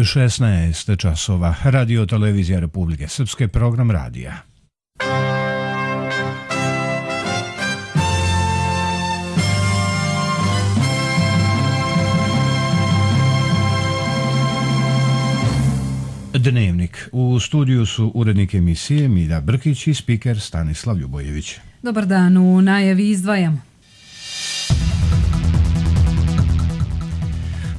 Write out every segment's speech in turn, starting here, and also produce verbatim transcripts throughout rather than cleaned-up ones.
šesnaest časova. Radio Televizija Republike Srpske, program radija. Dnevnik. U studiju su urednik emisije Milja Brkić i spiker Stanislav Ljubojević. Dobar dan, u najavi izdvajam.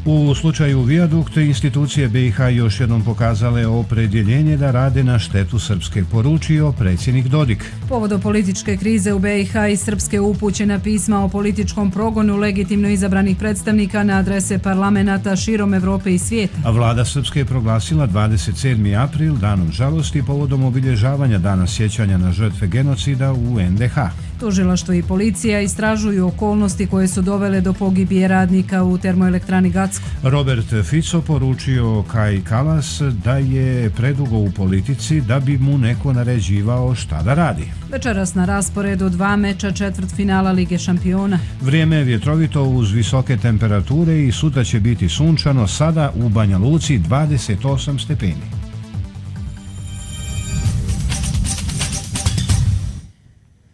U slučaju Vijadukt, institucije B i H još jednom pokazale opredjeljenje da rade na štetu Srpske, poručio predsjednik Dodik. Povodom političke krize u B i H i Srpske upućena pisma o političkom progonu legitimno izabranih predstavnika na adrese parlamenata širom Evrope i svijeta. A vlada Srpske je proglasila dvadeset sedmi april danom žalosti povodom obilježavanja dana sjećanja na žrtve genocida u en de ha. Tužilaštvo i policija istražuju okolnosti koje su dovele do pogibije radnika u termoelektrani Gacko. Robert Fico poručio Kaji Kallas da je predugo u politici da bi mu neko naređivao šta da radi. Večeras na rasporedu dva meča četvrtfinala Lige šampiona. Vrijeme je vjetrovito uz visoke temperature i sutra će biti sunčano, sada u Banja Luci dvadeset osam stepeni.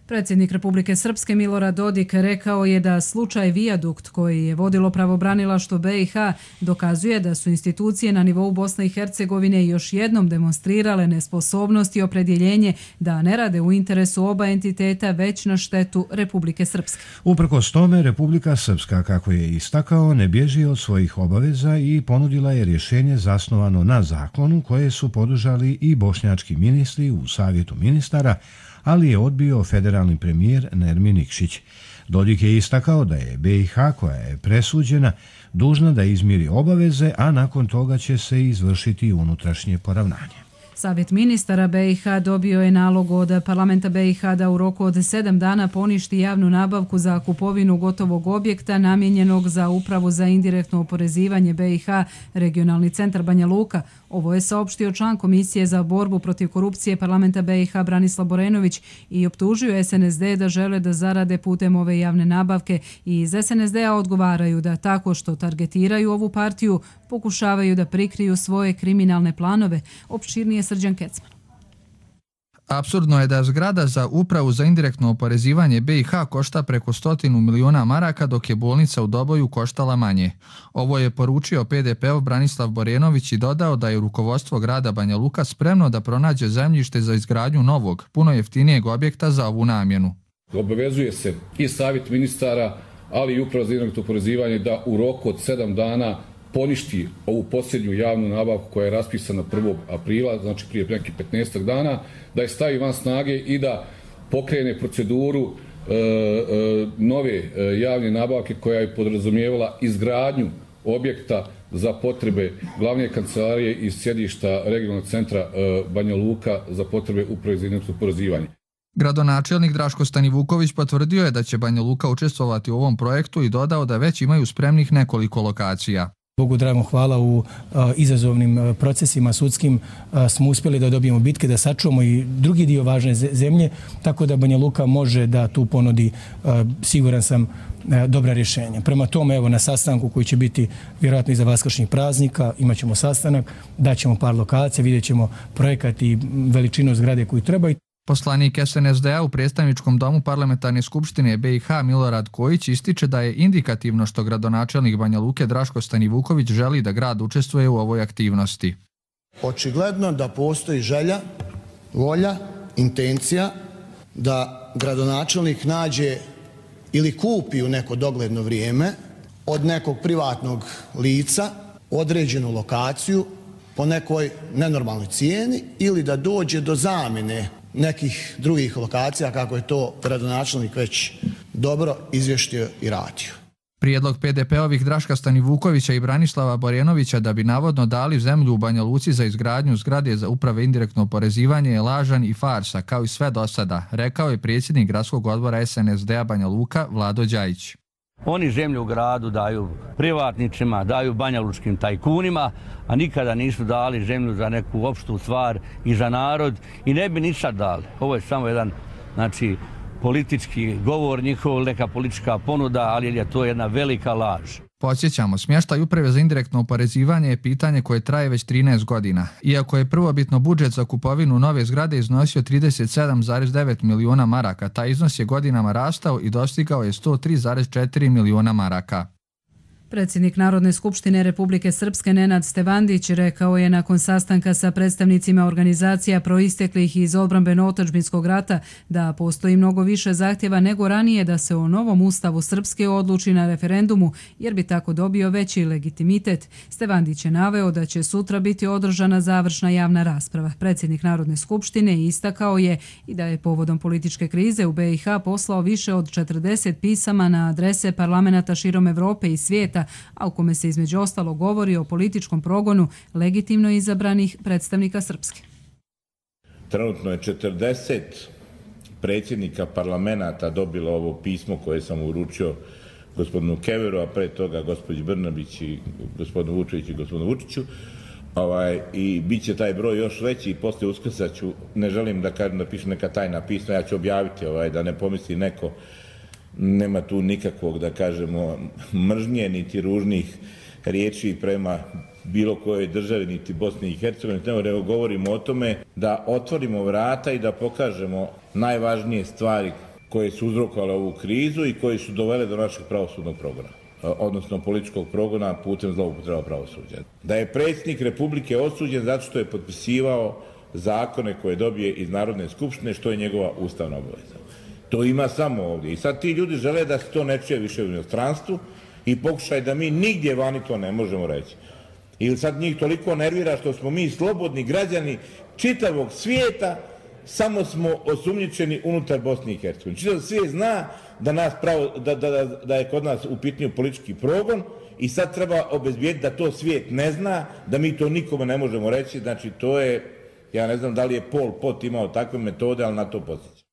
Predsjednik Republike Srpske Milorad Dodik rekao je da slučaj Vijadukt koji je vodilo pravobranilaštvo B i H dokazuje da su institucije na nivou Bosne i Hercegovine još jednom demonstrirale nesposobnost i opredjeljenje da ne rade u interesu oba entiteta već na štetu Republike Srpske. Uprkos tome, Republika Srpska, kako je istakao, ne bježi od svojih obaveza i ponudila je rješenje zasnovano na zakonu koje su podržali i bošnjački ministri u Savjetu ministara, ali je odbio federalni premijer Nermin Nikšić. Dodik je istakao da je B i H, koja je presuđena, dužna da izmiri obaveze, a nakon toga će se izvršiti unutrašnje poravnanje. Savjet ministara B i H dobio je nalog od parlamenta B i H da u roku od sedam dana poništi javnu nabavku za kupovinu gotovog objekta namijenjenog za upravu za indirektno oporezivanje B i H, regionalni centar Banja Luka. Ovo je saopštio član Komisije za borbu protiv korupcije parlamenta B i H Branislav Borenović i optužio es en es de da žele da zarade putem ove javne nabavke i iz es en es de a odgovaraju da tako što targetiraju ovu partiju pokušavaju da prikriju svoje kriminalne planove. Opširnije Srđan Kecman. Apsurdno je da zgrada za upravu za indirektno oporezivanje B i H košta preko stotinu miliona maraka, dok je bolnica u Doboju koštala manje. Ovo je poručio pe de pe ov Branislav Borenović i dodao da je rukovodstvo grada Banja Luka spremno da pronađe zemljište za izgradnju novog, puno jeftinijeg objekta za ovu namjenu. Obavezuje se i savjet ministara, ali i uprava za indirektno oporezivanje da u roku od sedam dana poništi ovu posljednju javnu nabavku koja je raspisana prvog aprila, znači prije nekih petnaestak dana, da je stavi van snage i da pokrene proceduru e, e, nove e, javne nabavke koja je podrazumijevala izgradnju objekta za potrebe glavne kancelarije i sjedišta regionalnog centra e, Banja Luka za potrebe uprave za indirektno oporezivanje. Gradonačelnik Draško Stanivuković potvrdio je da će Banja Luka učestvovati u ovom projektu i dodao da već imaju spremnih nekoliko lokacija. Bogu dragom hvala, u a, izazovnim a, procesima sudskim a, smo uspjeli da dobijemo bitke, da sačuvamo i drugi dio važne zemlje, tako da Banja Luka može da tu ponudi, a, siguran sam, a, dobra rješenja. Prema tome, evo, na sastanku koji će biti vjerojatno iza vaskršnjih praznika, imat ćemo sastanak, daćemo par lokacija, vidjet ćemo projekat i veličinu zgrade koju treba. Poslanik es en es de a u predstavničkom domu parlamentarne skupštine B i H Milorad Kojić ističe da je indikativno što gradonačelnik Banja Luke Draško Stanivuković želi da grad učestvuje u ovoj aktivnosti. Očigledno da postoji želja, volja, intencija da gradonačelnik nađe ili kupi u neko dogledno vrijeme od nekog privatnog lica određenu lokaciju po nekoj nenormalnoj cijeni ili da dođe do zamjene nekih drugih lokacija, kako je to gradonačelnik već dobro izvještio i radio. Prijedlog pe de pe ovih Draška Stanivukovića i Branislava Borenovića da bi navodno dali zemlju u Banja Luci za izgradnju zgrade za uprave indirektno oporezivanje je lažan i farsa, kao i sve do sada, rekao je predsjednik gradskog odbora es en es de a Banja Luka Vlado Đajić. Oni zemlju u gradu daju privatnicima, daju banjalučkim tajkunima, a nikada nisu dali zemlju za neku opštu stvar i za narod i ne bi ni sad dali. Ovo je samo jedan, znači, politički govor njihov, neka politička ponuda, ali je to jedna velika laž. Podsjećamo, smještaj uprave za indirektno oporezivanje je pitanje koje traje već trinaest godina. Iako je prvobitno budžet za kupovinu nove zgrade iznosio trideset sedam zarez devet miliona maraka, taj iznos je godinama rastao i dostigao je sto tri zarez četiri miliona maraka. Predsjednik Narodne skupštine Republike Srpske Nenad Stevandić rekao je nakon sastanka sa predstavnicima organizacija proisteklih iz odbrambeno-otadžbinskog rata da postoji mnogo više zahtjeva nego ranije da se o novom ustavu Srpske odluči na referendumu jer bi tako dobio veći legitimitet. Stevandić je naveo da će sutra biti održana završna javna rasprava. Predsjednik Narodne skupštine istakao je i da je povodom političke krize u B i H poslao više od četrdeset pisama na adrese parlamenata širom Evrope i svijeta, a u kome se između ostalo govori o političkom progonu legitimno izabranih predstavnika Srpske. Trenutno je četrdeset predsjednika parlamenta dobilo ovo pismo koje sam uručio gospodinu Keveru, a pre toga gospođi Brnabić i gospodinu Vučeviću i gospodinu Vučiću. Ovaj, I bit će taj broj još veći i poslije Uskrsa ću, ne želim da kažem da pišem neka tajna pisma, ja ću objaviti ovaj, da ne pomisli neko. Nema tu nikakvog, da kažemo, mržnje, niti ružnih riječi prema bilo kojoj državi, niti Bosni i Hercegovini. Nego govorimo o tome da otvorimo vrata i da pokažemo najvažnije stvari koje su uzrokovale ovu krizu i koje su dovele do našeg pravosudnog progona, odnosno političkog progona putem zloupotreba pravosuđa. Da je predsjednik Republike osuđen zato što je potpisivao zakone koje dobije iz Narodne skupštine, što je njegova ustavna obaveza. To ima samo ovdje. I sad ti ljudi žele da se to ne čuje više u inostranstvu i pokušaj da mi nigdje vani to ne možemo reći. Ili sad njih toliko nervira što smo mi slobodni građani čitavog svijeta, samo smo osumnjičeni unutar Bosne i Hercegovine. Čitav svijet zna da, nas pravo, da, da, da je kod nas u pitanju politički progon i sad treba obezbijediti da to svijet ne zna, da mi to nikome ne možemo reći. Znači to je, ja ne znam da li je Pol Pot imao takve metode, ali na to podsjeća.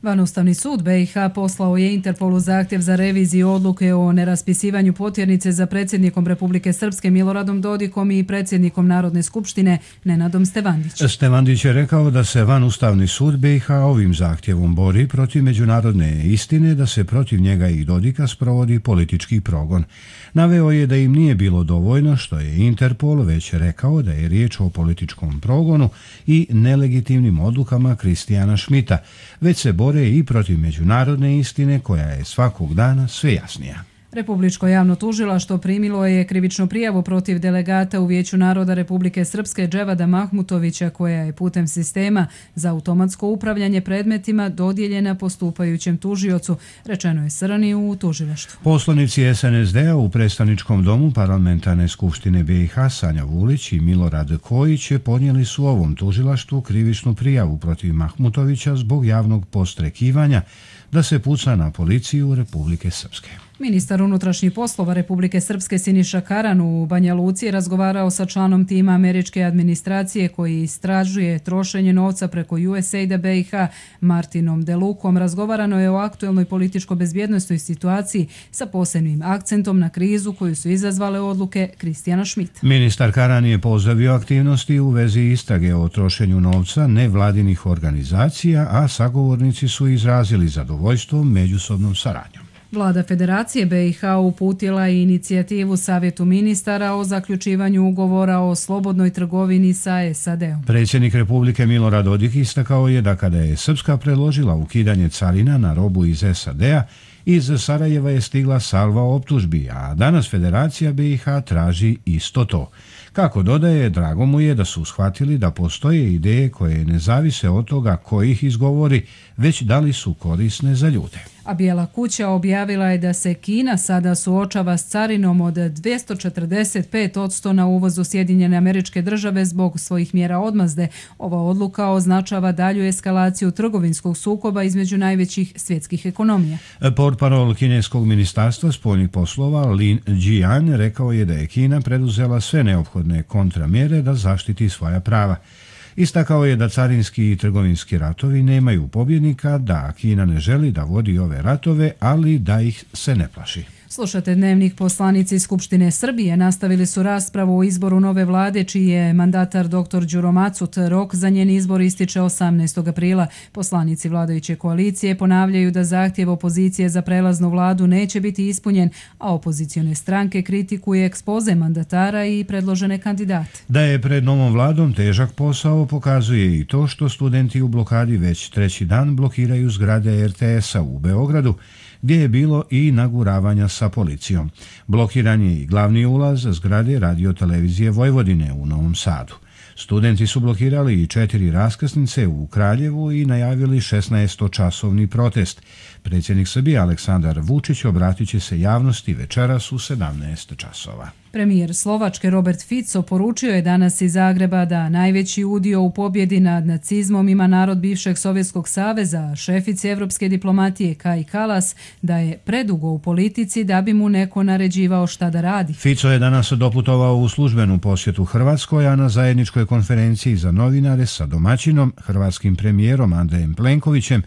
Vanustavni sud B i H poslao je Interpolu zahtjev za reviziju odluke o neraspisivanju potjernice za predsjednikom Republike Srpske Miloradom Dodikom i predsjednikom Narodne skupštine Nenadom Stevandićem. Stevandić je rekao da se Vanustavni sud B i H ovim zahtjevom bori protiv međunarodne istine da se protiv njega i Dodika sprovodi politički progon. Naveo je da im nije bilo dovoljno što je Interpol već rekao da je riječ o političkom progonu i nelegitimnim odlukama Kristijana Šmita, već se bori i protiv međunarodne istine koja je svakog dana sve jasnija. Republičko javno tužilaštvo primilo je krivičnu prijavu protiv delegata u Vijeću naroda Republike Srpske Dževada Mahmutovića koja je putem sistema za automatsko upravljanje predmetima dodijeljena postupajućem tužiocu, rečeno je Srni u tužilaštvu. Poslanici S N S D-a u predstavničkom domu Parlamentarne skupštine B i H Sanja Vulić i Milorad Kojić podnijeli su ovom tužilaštvu krivičnu prijavu protiv Mahmutovića zbog javnog podstrekivanja da se puca na policiju Republike Srpske. Ministar unutrašnjih poslova Republike Srpske Siniša Karan u Banja Luci razgovarao sa članom tima američke administracije koji istražuje trošenje novca preko U S A I D-a B i H Martinom Delukom. Razgovarano je o aktuelnoj političko-bezbjednostnoj situaciji sa posebnim akcentom na krizu koju su izazvale odluke Kristijana Šmita. Ministar Karan je pozdravio aktivnosti u vezi istrage o trošenju novca nevladinih organizacija, a sagovornici su izrazili zadovoljstvo međusobnom saradnjom. Vlada Federacije B i H uputila je inicijativu Savjetu ministara o zaključivanju ugovora o slobodnoj trgovini sa S A D-om. Predsjednik Republike Milorad Dodik istakao je da kada je Srpska predložila ukidanje carina na robu iz S A D-a, iz Sarajeva je stigla salva optužbi, a danas Federacija B i H traži isto to. Kako dodaje, drago mu je da su shvatili da postoje ideje koje ne zavise od toga ko ih izgovori, već da li su korisne za ljude. A Bijela kuća objavila je da se Kina sada suočava s carinom od dvjesto četrdeset pet posto na uvoz u Sjedinjene Američke Države zbog svojih mjera odmazde. Ova odluka označava dalju eskalaciju trgovinskog sukoba između najvećih svjetskih ekonomija. Portparol kineskog ministarstva spoljnih poslova Lin Jian rekao je da je Kina preduzela sve neophodne kontramjere da zaštiti svoja prava. Istakao je da carinski i trgovinski ratovi nemaju pobjednika, da Kina ne želi da vodi ove ratove, ali da ih se ne plaši. Slušate Dnevnik. Poslanici Skupštine Srbije nastavili su raspravu o izboru nove vlade, čiji je mandatar doktor Đuro Macut. Rok za njen izbor ističe osamnaestog aprila. Poslanici vladajuće koalicije ponavljaju da zahtjev opozicije za prelaznu vladu neće biti ispunjen, a opozicione stranke kritikuje ekspoze mandatara i predložene kandidate. Da je pred novom vladom težak posao pokazuje i to što studenti u blokadi već treći dan blokiraju zgrade er te esa u Beogradu, gdje je bilo i naguravanja sa policijom. Blokiran je i glavni ulaz zgrade Radio-televizije Vojvodine u Novom Sadu. Studenti su blokirali i četiri raskrsnice u Kraljevu i najavili šesnaestočasovni protest. Predsjednik Srbije Aleksandar Vučić obratit će se javnosti večeras u sedamnaest časova. Premijer Slovačke Robert Fico poručio je danas iz Zagreba da najveći udio u pobjedi nad nacizmom ima narod bivšeg Sovjetskog saveza, šefici evropske diplomatije Kaji Kalas da je predugo u politici da bi mu neko naređivao šta da radi. Fico je danas doputovao u službenu posjetu Hrvatskoj, a na zajedničkoj konferenciji za novinare sa domaćinom, hrvatskim premijerom Andrejem Plenkovićem,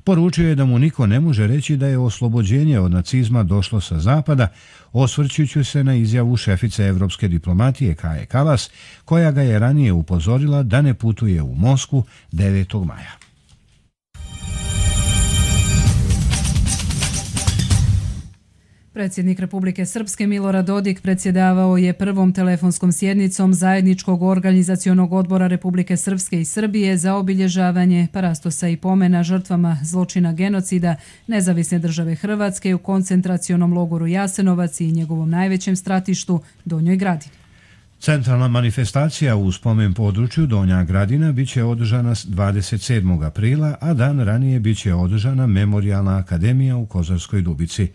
poručio je da mu niko ne može reći da je oslobođenje od nacizma došlo sa zapada, osvrćući se na izjavu šefice evropske diplomatije Kaje Kalas, koja ga je ranije upozorila da ne putuje u Moskvu devetog maja. Predsjednik Republike Srpske Milorad Dodik predsjedavao je prvom telefonskom sjednicom Zajedničkog organizacionog odbora Republike Srpske i Srbije za obilježavanje parastosa i pomena žrtvama zločina genocida Nezavisne države Hrvatske u koncentracionom logoru Jasenovac i njegovom najvećem stratištu Donjoj Gradini. Centralna manifestacija u spomen području Donja Gradina biće održana dvadeset sedmog aprila, a dan ranije biće održana Memorijalna akademija u Kozarskoj Dubici.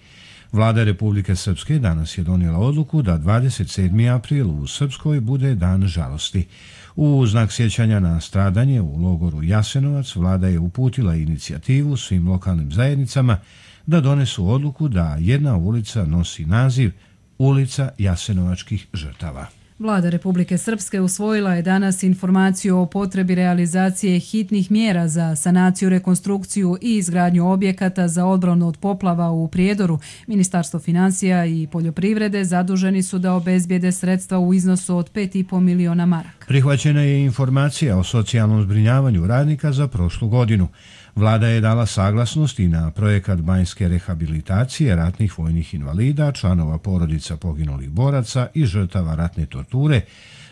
Vlada Republike Srpske danas je donijela odluku da dvadeset sedmi april u Srpskoj bude dan žalosti. U znak sjećanja na stradanje u logoru Jasenovac vlada je uputila inicijativu svim lokalnim zajednicama da donesu odluku da jedna ulica nosi naziv Ulica Jasenovačkih žrtava. Vlada Republike Srpske usvojila je danas informaciju o potrebi realizacije hitnih mjera za sanaciju, rekonstrukciju i izgradnju objekata za odbranu od poplava u Prijedoru. Ministarstvo financija i poljoprivrede zaduženi su da obezbijede sredstva u iznosu od pet i po miliona maraka. Prihvaćena je informacija o socijalnom zbrinjavanju radnika za prošlu godinu. Vlada je dala saglasnost i na projekat banjske rehabilitacije ratnih vojnih invalida, članova porodica poginulih boraca i žrtava ratne torture,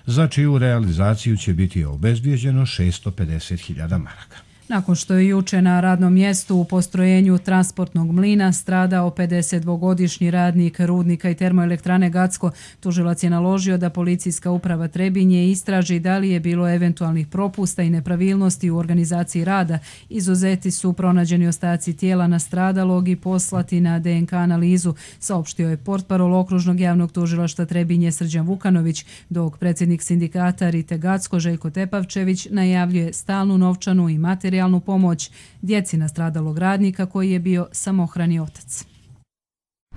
za čiju realizaciju će biti obezbijeđeno šesto pedeset hiljada maraka. Nakon što je juče na radnom mjestu u postrojenju transportnog mlina stradao pedesetdvogodišnji radnik rudnika i termoelektrane Gacko, tužilac je naložio da policijska uprava Trebinje istraži da li je bilo eventualnih propusta i nepravilnosti u organizaciji rada. Izuzeti su pronađeni ostaci tijela nastradalog i poslati na de en ka analizu, saopštio je portparol okružnog javnog tužilaštva Trebinje Srđan Vukanović, dok predsjednik sindikata Rite Gacko Željko Tepavčević najavljuje stalnu novčanu i materijalnu pomoć djeci nastradalog radnika koji je bio samohrani otac.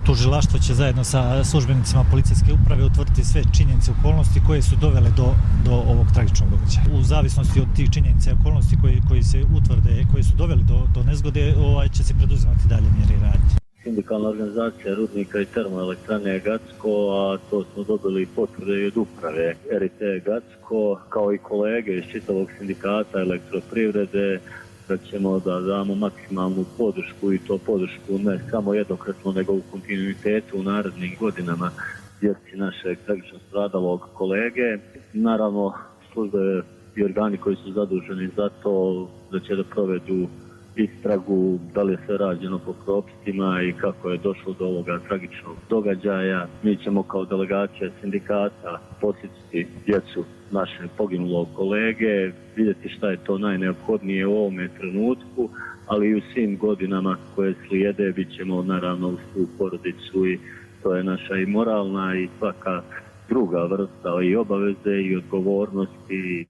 Tužilaštvo će zajedno sa službenicima policijske uprave utvrditi sve činjenice i okolnosti koje su dovele do, do ovog tragičnog događaja. U zavisnosti od tih činjenica i okolnosti koji, koji se utvrde, koji su doveli do, do nezgode, ovaj, će se preduzimati dalje mjere i radnje. Sindikalna organizacija rudnika i termoelektrane Gacko, a to smo dobili potvrde i od uprave er i te Gacko, kao i kolege iz čitavog sindikata elektroprivrede, da ćemo da damo maksimalnu podršku i to podršku ne samo jednokratno, nego u kontinuitetu u narednim godinama djeci našeg tragično stradalog kolege. Naravno, službe i organi koji su zaduženi za to da će da provedu istragu, da li je sve rađeno po propisima i kako je došlo do ovoga tragičnog događaja. Mi ćemo kao delegacija sindikata posjetiti djecu našeg poginulog kolege, vidjeti šta je to najneophodnije u ovome trenutku, ali i u svim godinama koje slijede bit ćemo naravno uz tu porodicu i to je naša i moralna i svaka druga vrsta i obaveze i odgovornosti.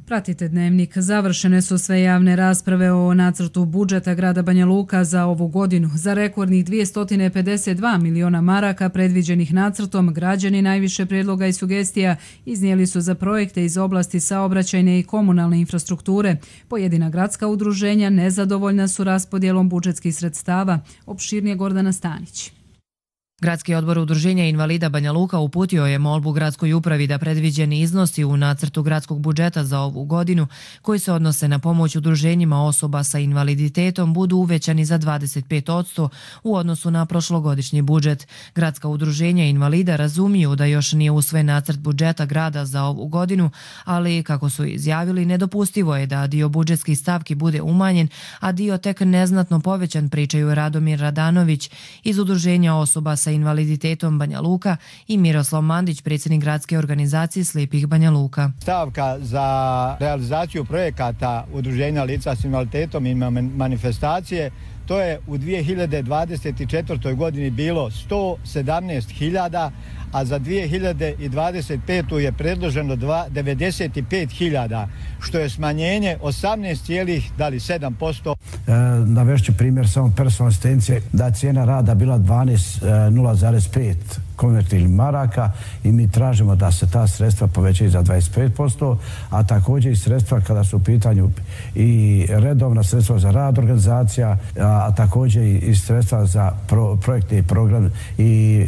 Pratite Dnevnik. Završene su sve javne rasprave o nacrtu budžeta grada Banja Luka za ovu godinu. Za rekordnih dvjesto pedeset dva miliona maraka predviđenih nacrtom, građani najviše prijedloga i sugestija iznijeli su za projekte iz oblasti saobraćajne i komunalne infrastrukture. Pojedina gradska udruženja nezadovoljna su raspodjelom budžetskih sredstava. Opširnije Gordana Stanić. Gradski odbor Udruženja invalida Banja Luka uputio je molbu gradskoj upravi da predviđeni iznosi u nacrtu gradskog budžeta za ovu godinu, koji se odnose na pomoć udruženjima osoba sa invaliditetom, budu uvećani za dvadeset pet posto u odnosu na prošlogodišnji budžet. Gradska udruženja invalida razumiju da još nije usvojen nacrt budžeta grada za ovu godinu, ali, kako su izjavili, nedopustivo je da dio budžetskih stavki bude umanjen, a dio tek neznatno povećan, pričaju Radomir Radanović iz Udruženja osoba sa sa invaliditetom Banja Luka i Miroslav Mandić, predsjednik gradske organizacije Slijepih Banja Luka. Stavka za realizaciju projekata Udruženja lica s invaliditetom i manifestacije, to je u dvije hiljade dvadeset četvrtoj godini bilo sto sedamnaest hiljada, a za dvije hiljade dvadeset petu je predloženo devedeset pet hiljada, što je smanjenje osamnaest zarez sedam posto. E, navešću primjer samo personalne asistencije, da cijena rada bila dvanaest zarez pet konvertibilnih maraka i mi tražimo da se ta sredstva povećaju za dvadeset pet posto, a također i sredstva kada su u pitanju i redovna sredstva za rad organizacija, a, a također i sredstva za pro, projekte i program i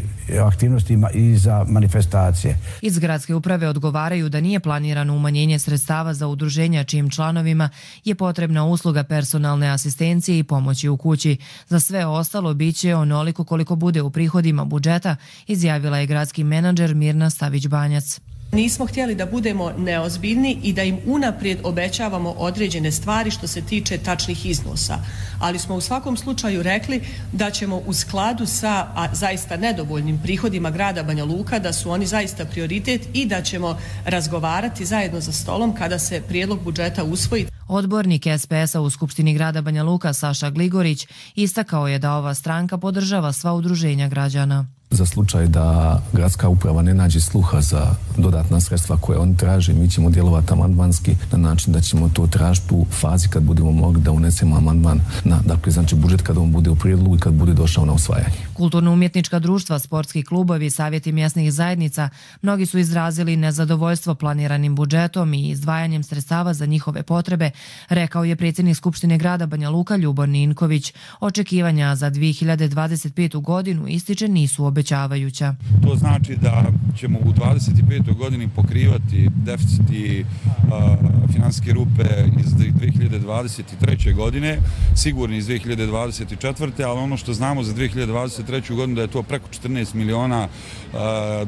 aktivnosti i za manifestacije. Iz gradske uprave odgovaraju da nije planirano umanjenje sredstava za udruženja čijim članovima je potrebna usluga personalne asistencije i pomoći u kući. Za sve ostalo biće onoliko koliko bude u prihodima budžeta, izjavila je gradski menadžer Mirna Stavić-Banjac. Nismo htjeli da budemo neozbiljni i da im unaprijed obećavamo određene stvari što se tiče tačnih iznosa. Ali smo u svakom slučaju rekli da ćemo u skladu sa a, zaista nedovoljnim prihodima grada Banja Luka, da su oni zaista prioritet i da ćemo razgovarati zajedno za stolom kada se prijedlog budžeta usvoji. Odbornik S P S-a u Skupštini grada Banja Luka Saša Gligorić istakao je da ova stranka podržava sva udruženja građana. Za slučaj da gradska uprava ne nađe sluha za dodatna sredstva koje oni traže, mi ćemo djelovati amandmanski na način da ćemo to tražiti u fazi kad budemo mogli da unesemo amandman na, dakle, znači budžet kad on bude u prijedlogu i kad bude došao na usvajanje. Kulturno-umjetnička društva, sportski klubovi, savjeti mjesnih zajednica, mnogi su izrazili nezadovoljstvo planiranim budžetom i izdvajanjem sredstava za njihove potrebe, rekao je predsjednik Skupštine grada Banja Luka Ljubor Ninković. Očekivanja za dvije hiljade dvadeset petu godinu ističe nisu obećavajuća. To znači da ćemo u dvadeset petoj godini pokrivati deficit i uh, financijske rupe iz dvije hiljade dvadeset treće godine, sigurni iz dvije hiljade dvadeset četvrte ali ono što znamo za dvije hiljade dvadeset treću godinu da je to preko četrnaest miliona uh,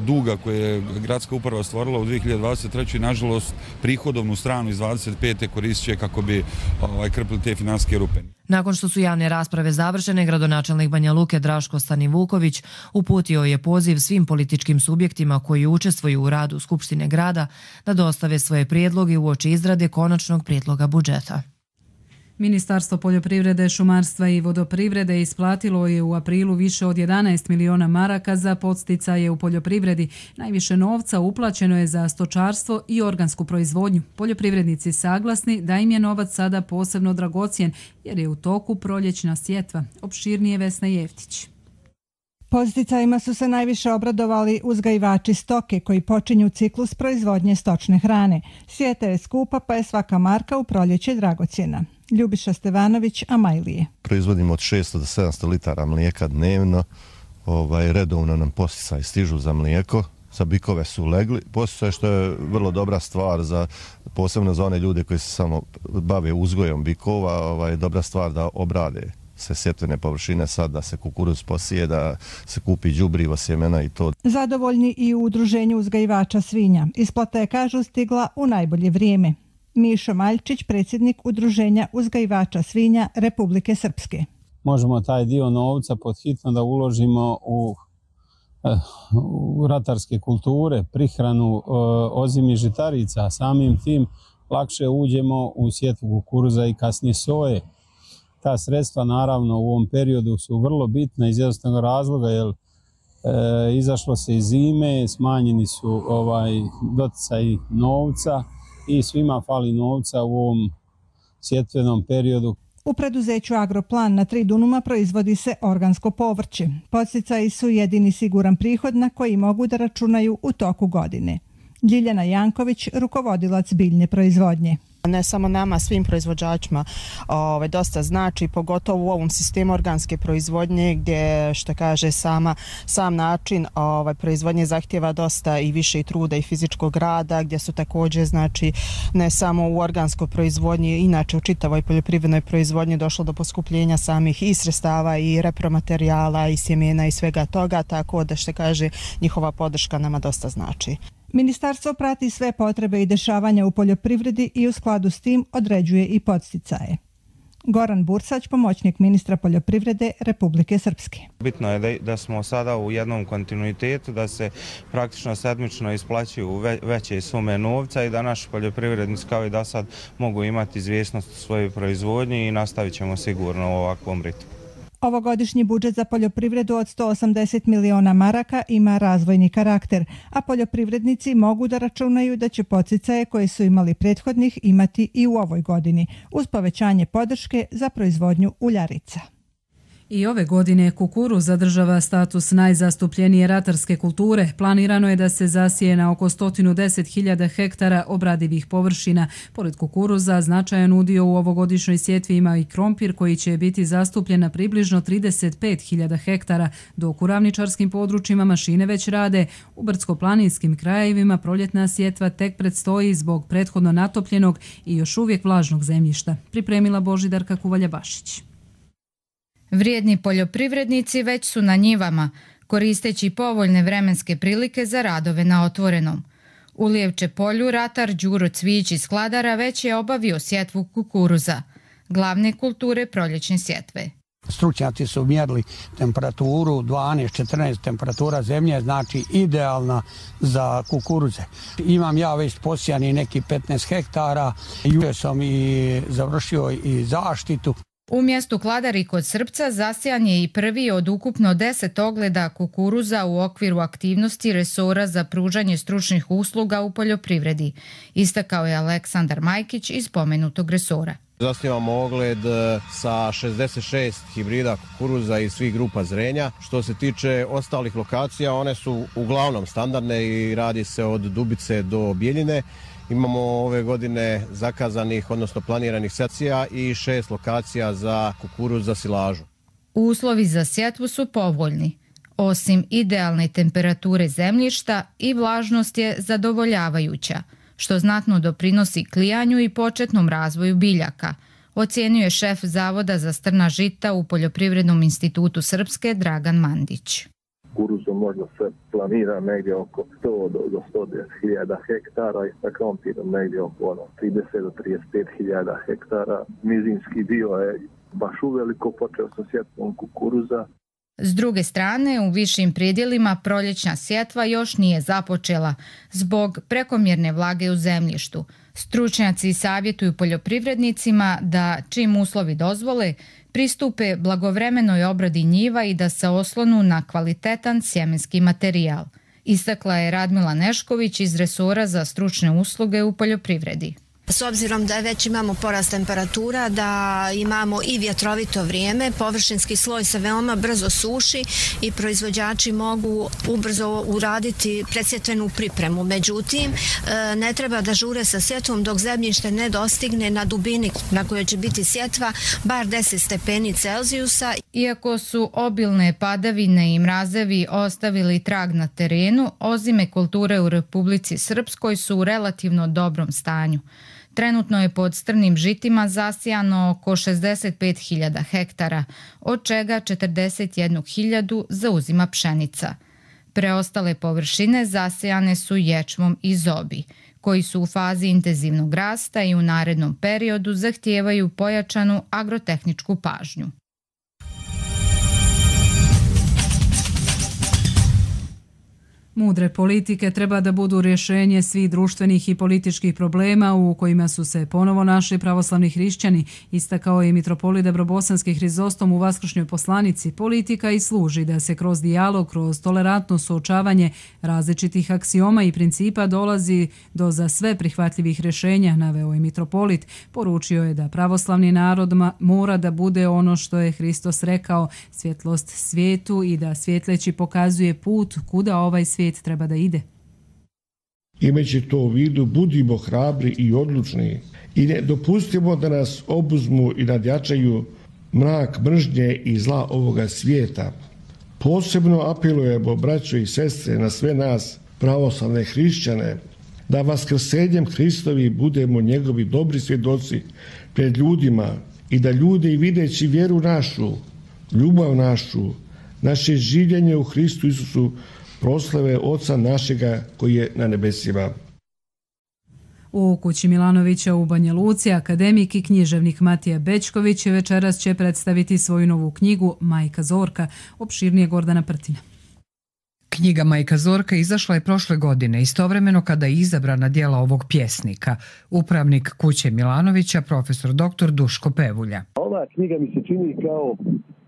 duga koje je gradska uprava stvorila u dvije hiljade dvadeset trećoj nažalost prihodovnu stranu iz dvadeset pete koristit će kako bi ovaj, krpili te financijske rupe. Nakon što su javne rasprave završene, gradonačelnik Banja Luke Draško Stanivuković uputio je poziv svim političkim subjektima koji učestvuju u radu Skupštine grada da dostave svoje prijedloge uoči izrade konačnog prijedloga budžeta. Ministarstvo poljoprivrede, šumarstva i vodoprivrede isplatilo je u aprilu više od jedanaest miliona maraka za podsticaje u poljoprivredi. Najviše novca uplaćeno je za stočarstvo i organsku proizvodnju. Poljoprivrednici saglasni da im je novac sada posebno dragocjen jer je u toku proljećna sjetva. Opširnije Vesna Jeftić. Podsticajima su se najviše obradovali uzgajivači stoke koji počinju ciklus proizvodnje stočne hrane. Sjeta je skupa pa je svaka marka u proljeće dragocjena. Ljubiša Stevanović, Amajlije. Proizvodimo od šesto do sedamsto litara mlijeka dnevno. Ovaj, redovno nam posticaji stižu za mlijeko. Za bikove su legli. Posticaj što je vrlo dobra stvar, za, posebno za one ljude koji se samo bave uzgojom bikova. Ovaj, dobra stvar da obrade se sjetvene površine sad, da se kukuruz posije, da se kupi đubrivo, sjemena i to. Zadovoljni i u udruženju uzgajivača svinja. Isplata je, kažu, stigla u najbolje vrijeme. Mišo Maljčić, predsjednik udruženja uzgajivača svinja Republike Srpske. Možemo taj dio novca podhitno da uložimo u, u ratarske kulture, prihranu ozimi žitarica. Samim tim lakše uđemo u sjetvu kukuruza i kasnije soje. Ta sredstva naravno u ovom periodu su vrlo bitna iz jednostavnog razloga jer e, izašlo se iz zime, smanjeni su ovaj doticaji novca i svima fali novca u ovom sjetvenom periodu. U preduzeću Agroplan na tri dunuma proizvodi se organsko povrće. Podsticaji su jedini siguran prihod na koji mogu da računaju u toku godine. Ljiljana Janković, rukovodilac biljne proizvodnje. Ne samo nama, svim proizvođačima ovaj, dosta znači, pogotovo u ovom sistemu organske proizvodnje gdje, što kaže, sama, sam način ovaj, proizvodnje zahtjeva dosta i više i truda i fizičkog rada, gdje su također, znači, ne samo u organskoj proizvodnji, inače u čitavoj poljoprivrednoj proizvodnji došlo do poskupljenja samih i sredstava i repromaterijala i sjemena i svega toga, tako da, što kaže, njihova podrška nama dosta znači. Ministarstvo prati sve potrebe i dešavanja u poljoprivredi i u skladu s tim određuje i podsticaje. Goran Bursać, pomoćnik ministra poljoprivrede Republike Srpske. Bitno je da, da smo sada u jednom kontinuitetu, da se praktično sedmično isplaćuju ve, veće sume novca i da naši poljoprivrednici kao i da sad mogu imati izvjesnost u svojoj proizvodnji i nastavit ćemo sigurno u ovakvom ritmu. Ovogodišnji budžet za poljoprivredu od sto osamdeset miliona maraka ima razvojni karakter, a poljoprivrednici mogu da računaju da će podsticaje koje su imali prethodnih imati i u ovoj godini, uz povećanje podrške za proizvodnju uljarica. I ove godine kukuruz zadržava status najzastupljenije ratarske kulture. Planirano je da se zasije na oko sto deset hiljada hektara obradivih površina. Pored kukuruza, značajan udio u ovogodišnjoj sjetvi ima i krompir koji će biti zastupljen na približno trideset pet hiljada hektara, dok u ravničarskim područjima mašine već rade. U brdsko-planinskim krajevima proljetna sjetva tek predstoji zbog prethodno natopljenog i još uvijek vlažnog zemljišta. Pripremila Božidarka Kuvalja-Bašić. Vrijedni poljoprivrednici već su na njivama, koristeći povoljne vremenske prilike za radove na otvorenom. U Lijevče polju ratar Đuro Cvijić iz Kladara već je obavio sjetvu kukuruza, glavne kulture proljećne sjetve. Stručnjaci su mjerili temperaturu dvanaest četrnaest temperatura zemlje, znači idealna za kukuruze. Imam ja već posijani neki petnaest hektara, jučer sam i završio i zaštitu. U mjestu Kladar i kod Srpca zasijan je i prvi od ukupno deset ogleda kukuruza u okviru aktivnosti resora za pružanje stručnih usluga u poljoprivredi, istakao je Aleksandar Majkić iz spomenutog resora. Zasnivamo ogled sa šezdeset šest hibrida kukuruza iz svih grupa zrenja. Što se tiče ostalih lokacija, one su uglavnom standardne i radi se od Dubice do Bijeljine. Imamo ove godine zakazanih, odnosno planiranih sekcija i šest lokacija za kukuruz za silažu. Uslovi za sjetvu su povoljni. Osim idealne temperature zemljišta i vlažnost je zadovoljavajuća, što znatno doprinosi klijanju i početnom razvoju biljaka, ocjenjuje šef Zavoda za strna žita u Poljoprivrednom institutu Srpske Dragan Mandić. Kukuruzom možda se planira negdje oko sto do sto deset hiljada hektara i sa krompirom negdje oko ono, trideset do trideset pet hiljada hektara. Nizinski dio je baš uveliko, počeo sa sjetvom kukuruza. S druge strane, u višim predjelima proljećna sjetva još nije započela zbog prekomjerne vlage u zemljištu. Stručnjaci savjetuju poljoprivrednicima da, čim uslovi dozvole, pristupe blagovremenoj obradi njiva i da se oslonu na kvalitetan sjemenski materijal, istakla je Radmila Nešković iz resora za stručne usluge u poljoprivredi. S obzirom da već imamo porast temperatura, da imamo i vjetrovito vrijeme, površinski sloj se veoma brzo suši i proizvođači mogu ubrzo uraditi predsjetvenu pripremu. Međutim, ne treba da žure sa sjetvom dok zemljište ne dostigne na dubini na kojoj će biti sjetva bar deset stepeni Celzijusa. Iako su obilne padavine i mrazevi ostavili trag na terenu, ozime kulture u Republici Srpskoj su u relativno dobrom stanju. Trenutno je pod strnim žitima zasijano oko šezdeset pet hiljada hektara, od čega četrdeset jednu hiljadu zauzima pšenica. Preostale površine zasijane su ječmom i zobi, koji su u fazi intenzivnog rasta i u narednom periodu zahtijevaju pojačanu agrotehničku pažnju. Mudre politike treba da budu rješenje svih društvenih i političkih problema u kojima su se ponovo našli pravoslavni hrišćani, istakao je mitropolit Debrobosanski Hrizostom u vaskršnjoj poslanici. Politika i služi da se kroz dijalog, kroz tolerantno suočavanje različitih aksioma i principa dolazi do za sve prihvatljivih rješenja, naveo je mitropolit. Poručio je da pravoslavni narod mora da bude ono što je Hristos rekao, svjetlost svijetu i da svjetleći pokazuje put kuda ovaj svijet treba da ide. Imajući to u vidu, budimo hrabri i odlučni i ne dopustimo da nas obuzmu i nadjačaju mrak mržnje i zla ovoga svijeta. Posebno apelujemo, braćo i sestre, na sve nas, pravoslavne hrišćane, da vaskrsenjem Hristovi budemo njegovi dobri svjedoci pred ljudima i da ljudi videći vjeru našu, ljubav našu, naše življenje u Hristu Isusu proslave Oca našega koji je na nebesima. U kući Milanovića u Banja Luci akademik i književnik Matija Bećković večeras će predstaviti svoju novu knjigu Majka Zorka, opširnije Gordana Prtina. Knjiga Majka Zorka izašla je prošle godine, istovremeno kada je izabrana djela ovog pjesnika. Upravnik kuće Milanovića, profesor doktor Duško Pevulja. Ova knjiga mi se čini kao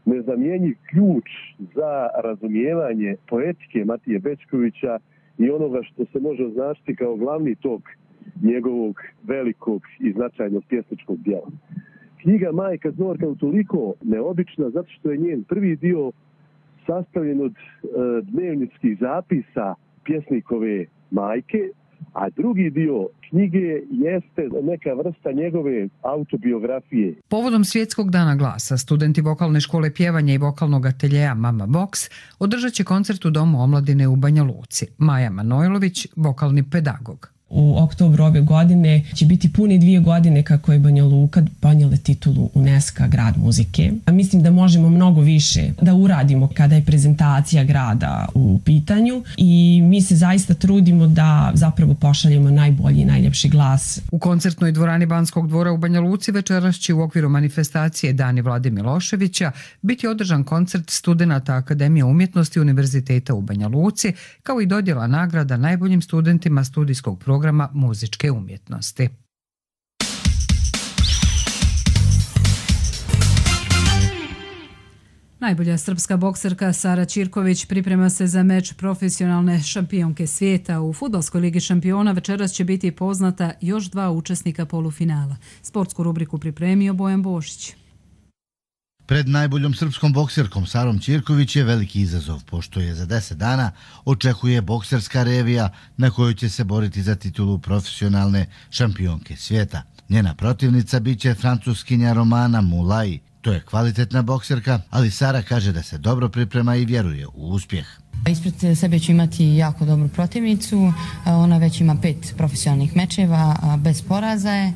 nezamjenjiv ključ za razumijevanje poetike Matije Bećkovića i onoga što se može označiti kao glavni tok njegovog velikog i značajnog pjesničkog djela. Knjiga Majka Zorka je utoliko neobična zato što je njen prvi dio sastavljen od e, dnevničkih zapisa pjesnikove majke, a drugi dio knjige jeste neka vrsta njegove autobiografije. Povodom Svjetskog dana glasa, studenti vokalne škole pjevanja i vokalnog ateljeja Mama Box održat će koncert u Domu omladine u Banja Luci. Maja Manojlović, vokalni pedagog. U oktobru ove godine će biti pune dvije godine kako je Banja Luka donijela titulu UNESCO grad muzike. A mislim da možemo mnogo više da uradimo kada je prezentacija grada u pitanju i mi se zaista trudimo da zapravo pošaljemo najbolji i najljepši glas. U koncertnoj dvorani Banskog dvora u Banja Luci večeras će u okviru manifestacije Dani Vlade Miloševića biti održan koncert studenata Akademije umjetnosti Univerziteta u Banja Luci, kao i dodjela nagrada najboljim studentima studijskog programa muzičke umjetnosti. Najbolja srpska bokserka Sara Ćirković priprema se za meč profesionalne šampionke svijeta. U Fudbalskoj ligi šampiona večeras će biti poznata još dva učesnika polufinala. Sportsku rubriku pripremio Bojan Bošić. Pred najboljom srpskom bokserkom Sarom Ćirković je veliki izazov, pošto je za deset dana očekuje bokserska revija na kojoj će se boriti za titulu profesionalne šampionke svijeta. Njena protivnica biće francuskinja Romana Moulay. To je kvalitetna bokserka, ali Sara kaže da se dobro priprema i vjeruje u uspjeh. Ispred sebe ću imati jako dobru protivnicu, ona već ima pet profesionalnih mečeva, bez poraza je.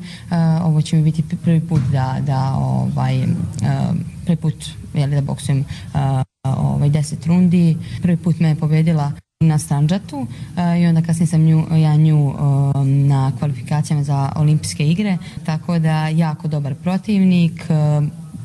Ovo će mi biti prvi put da, da ovaj, prvi put jeli, da boksujem ovaj, deset rundi. Prvi put me je pobjedila na Sandžatu i onda kasnije sam nju, ja nju na kvalifikacijama za olimpijske igre, tako da jako dobar protivnik.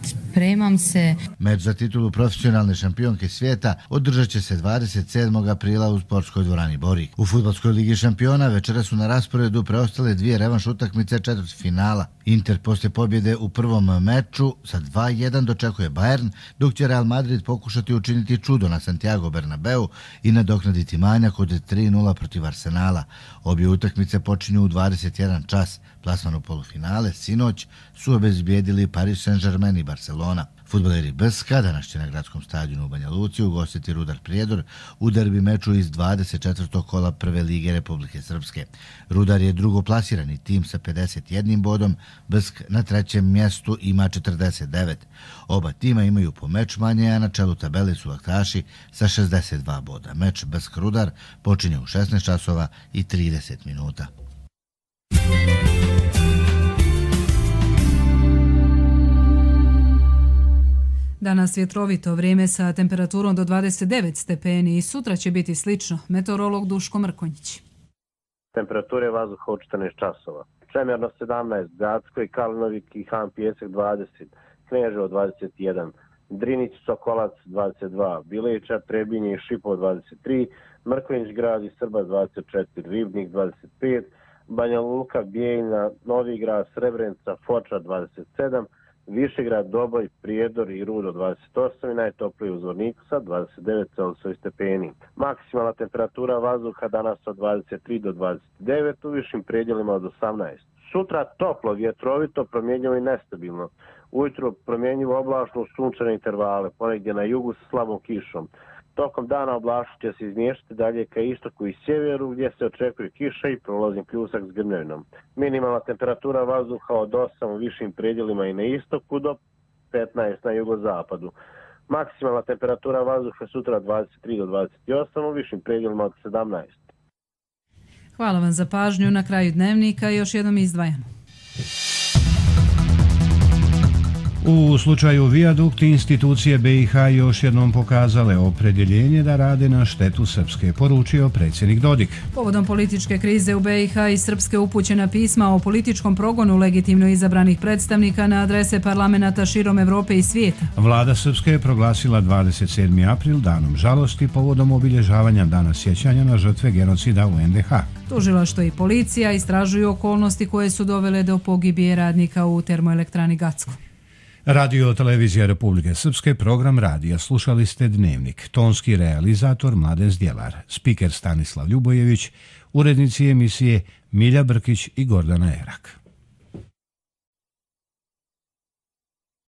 Spremam se. Meč za titulu profesionalne šampionke svijeta održat će se dvadeset sedmog aprila u sportskoj dvorani Borik. U Fudbalskoj ligi šampiona večera su na rasporedu preostale dvije revanš utakmice četvrtfinala. Inter poslije pobjede u prvom meču sa dva jedan dočekuje Bayern, dok će Real Madrid pokušati učiniti čudo na Santiago Bernabeu i nadoknaditi manjak od tri nula protiv Arsenala. Obje utakmice počinju u dvadeset jedan čas. Plasman u polufinale sinoć su obezbijedili Paris Saint-Germain i Barcelona. Fudbaleri Brska danas će na gradskom stadionu u Banja Luci ugostiti Rudar Prijedor u derbi meču iz dvadeset četvrtog kola Prve lige Republike Srpske. Rudar je drugoplasirani tim sa pedeset jedan bodom, Brsk na trećem mjestu ima četrdeset devet. Oba tima imaju po meč manje, a na čelu tabele su aktaši sa šezdeset dva boda. Meč Brsk-Rudar počinje u šesnaest časova i trideset minuta. Danas vjetrovito vrijeme sa temperaturom do dvadeset devet stepeni i sutra će biti slično. Meteorolog Duško Mrkonjić. Temperature vazduha od četrnaest časova. Čemerno sedamnaest, Gradsko i Kalinovik i Han Pjesak dvadeset, Kneževo dvadeset jedan, Drinić, Sokolac dvadeset dva, Bileća, Trebinje i Šipovo dvadeset tri, Mrkonjić grad i Srba dvadeset četiri, Ribnik dvadeset pet, Banja Luka, Bijeljna, Novigrad, Srebrenica, Foča dvadeset sedam, Višegrad, Doboj, Prijedor i Rudo dvadeset osam i najtopliji u Zvorniku sa dvadeset devet Celzijusovih stepeni. Maksimalna temperatura vazduha danas od dvadeset tri do dvadeset devet, u višim predjelima od osamnaest. Sutra toplo, vjetrovito, promjenjivo i nestabilno. Ujutro promjenjivo oblačno u sunčane intervale, ponegdje na jugu sa slabom kišom. Tokom dana oblačno će se izmještati dalje ka istoku i sjeveru gdje se očekuje kiša i prolazim pljusak s grmljavinom. Minimalna temperatura vazduha od osam u višim predjelima i na istoku do petnaest na jugozapadu. Maksimalna temperatura vazduha sutra dvadeset tri do dvadeset osam u višim predjelima od sedamnaest. Hvala vam za pažnju. Na kraju dnevnika još jednom izdvajamo. U slučaju Vijadukti institucije B i H još jednom pokazale opredjeljenje da rade na štetu Srpske, poručio predsjednik Dodik. Povodom političke krize u B i H i Srpske upućena pisma o političkom progonu legitimno izabranih predstavnika na adrese parlamenta širom Evrope i svijeta. Vlada Srpske je proglasila dvadeset sedmi april danom žalosti povodom obilježavanja dana sjećanja na žrtve genocida u N D H. Tužilaštvo i policija istražuju okolnosti koje su dovele do pogibije radnika u termoelektrani Gacko. Radio Televizija Republike Srpske, program radija. Slušali ste Dnevnik. Tonski realizator Mladen Zdjelar, spiker Stanislav Ljubojević, urednici emisije Milja Brkić i Gordana Erak.